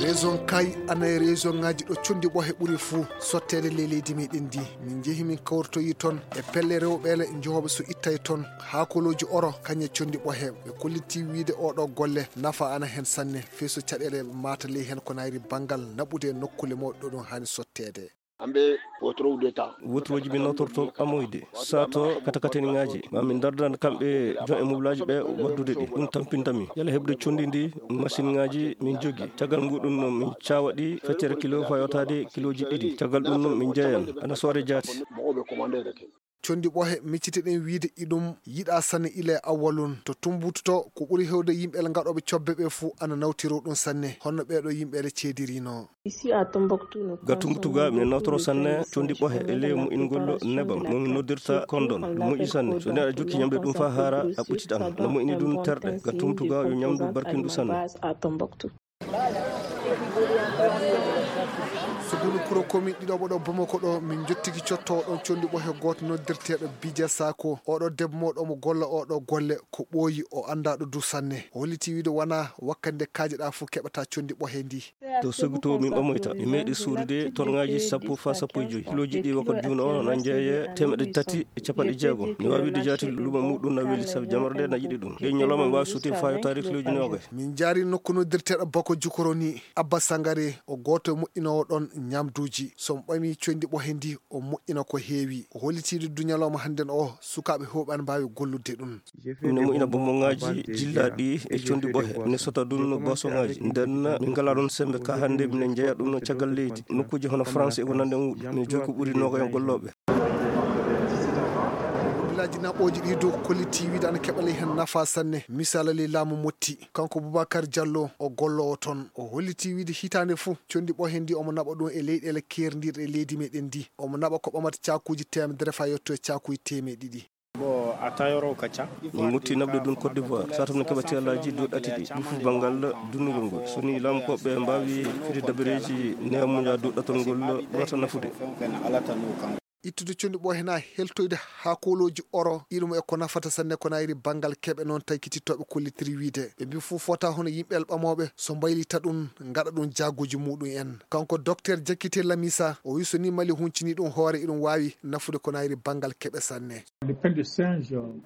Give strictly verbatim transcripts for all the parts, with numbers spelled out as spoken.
Région Kay ana e région ngaji ɗo condi ɓohe ɓuri fuu sotteede ley leydi meɗen ndi. Min njehi min kawritoyi toon e pelle rewɓeele njehooɓe so ittay toon haakolooji oro kañe condi ɓohe. Ɓe kollitii wiide oɗo golle nafa ana heen sanne, fey so caɗeele maata ley heen ko nayri banngal naɓude e nokkule mawɗe ɗo ɗum haani sotteede. Ambe wotoro udeta. Woturoji min nawtorto amoyde sato katakateni ngaji ma min dardan kamɓe jon e mublaaji ɓe waddude ɗi. Ɗum tampintami yala heɓde condi ndi machine ngaji min jogi. Caggal nguɗum min cawa ɗi feccere kilo fayotade kiloji ɗiɗi. Caggal ɗum min jeeyan ana soore jaati. Condi ɓohe miccitiɗen wiide iɗum yiɗa sanne ila e awwalun to tumbututo ko ɓuri hewde yimɓe ngaɗoɓe cobbe ɓe fuu ana nawtiro ɗum sanne honno ɓeɗo yimɓe ceedirino. Ga Tumbutu ga min nawtoro sanne condi ɓohe e ley moƴƴingol nebam mo min noddirta kondon. Ɗum moƴƴi sanne so neɗɗo jokki ñamde ɗum fa haara a ɓucciɗan. No moƴƴini ɗum terɗe ga Tumbutu ga yo ñamdu barkindu sanne. Sugunu kuro komin ɗiɗoɓo ɗo Bamako ɗo min jottiki cottowo ɗon condi ɓohe goto noddirteɗo Bija Sako. Oɗo debbo mawɗo omo golla oɗo golle ko ɓooyi o annda ɗo du sanne. O holliti wiide wona wakkati nde kaajeɗa fof keɓata condi ɓohe ndi. To sogi to min ɓamoyta mi meeɗi sorude tonngaaji sappo fa sappo e joyi kiloji ɗi wakkati juuno o na jeeye temeɗe tati e capanɗe jeegom. Mi waawi wiide jaati luumo muɗum na weli sabi jamaro nde na yiɗi ɗum. Ɗe ñalawma mi waawi soti fa yottaade kiloji noogay. Min jaari nokku noddirteɗo Bako Jukoro ni. Abba Sangare o gooto e moƴƴinoowo ɗon ñamduuji. So mi ɓamii conndi ɓohe ndi o moƴƴina ko heewi. O hollitiiɗo du ñalawma hannden o sukaaɓe heewɓe ana mbaawi gollude ɗum. Mine moƴƴina bonbongaaji jillaaɗi e conndi ɓohe ne sota ɗum bosoŋaaji. Nden min ngalaa ɗoon semmbe ka hannde minen njeya ɗum caggal leydi nokkuuji hono France e ko nanndi e muuɗum. Mine jogii ko ɓuri noogayen gollooɓe. Villaaji naɓooji ɗi dow kollitii wiide ana keɓa ley heen nafa sanne. Misaala ley laamu Motti, kanko Boubacar Diallo o golloowo toon. O hollitii wiide hitaande fof conndi ɓohe ndi omo naɓa ɗum e leyɗeele keerndirɗe e leydi meɗen ndi. Omo naɓa ko ɓamata caakuuji teemedere faa yetto e caakuuji teemeɗe ɗiɗi. Bon, a taayoro ka ca. Min mutti naɓde ɗum Côte d'Ivoire, sato min keɓa teelaaji duuɗati ɗi, ɗum fof banngal dunnugol ngol. So nii laamu ko ɓe mbaawi fide dabareeji neemuja duɗɗatol ngol ɓurata nafude. Ittude conndi ɓohe na heltoyde haa koolooji oro, iɗum e ko nafata sanne ko nayri banngal keɓe noon taykitittooɓe kollitiri wiide. Ɓe mbi fof fota hono yimɓe ɓamooɓe so mbaylita ɗum ngaɗa ɗum jaaguuji muɗum en. Kanko Docteur Jakite Lamisa o wi so nii Mali huncini ɗum hoore iɗum waawi nafude ko nayri banngal keɓe sanne.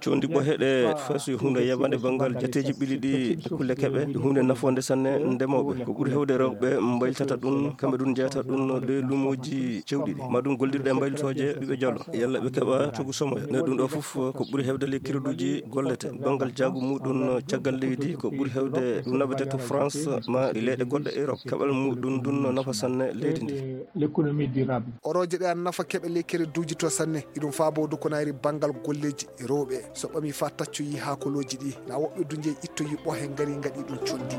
Condi ɓohe ɗe fay so huunde yabande banngal jateeji ɓili ɗi e kulle keɓe, ɗum huunde nafoonde sanne ndemooɓe. Ko ɓuri heewde rewɓe mbaylitata ɗum, kamɓe ɗum njeyata ɗum ɗe luumooji cewɗi ɗi. Ma ɗum gollirɗe e mbaylitooje ɓiɓɓe jalo. Yalla ɓe keɓa cogu somoya. Ne ɗum ɗo fof ko ɓuri heewde ley kiroduuji gollete. Banngal jaagu muɗum caggal leydi ko ɓuri heewde ɗum naɓete to France ma e leyɗe goɗɗe Europe. Keɓal muɗum ɗum nafa sanne leydi ndi. L'économie durable. Orooje ɗe ana nafa keɓe ley kereduuji to sanne. Iɗum faabo du ko nayri banngal golleeji rewɓe. So ɓami faa taccoyi haakolooji ɗi, na woɓɓe du njeyi ittoyi ɓohe ngari ngaɗi ɗum conndi.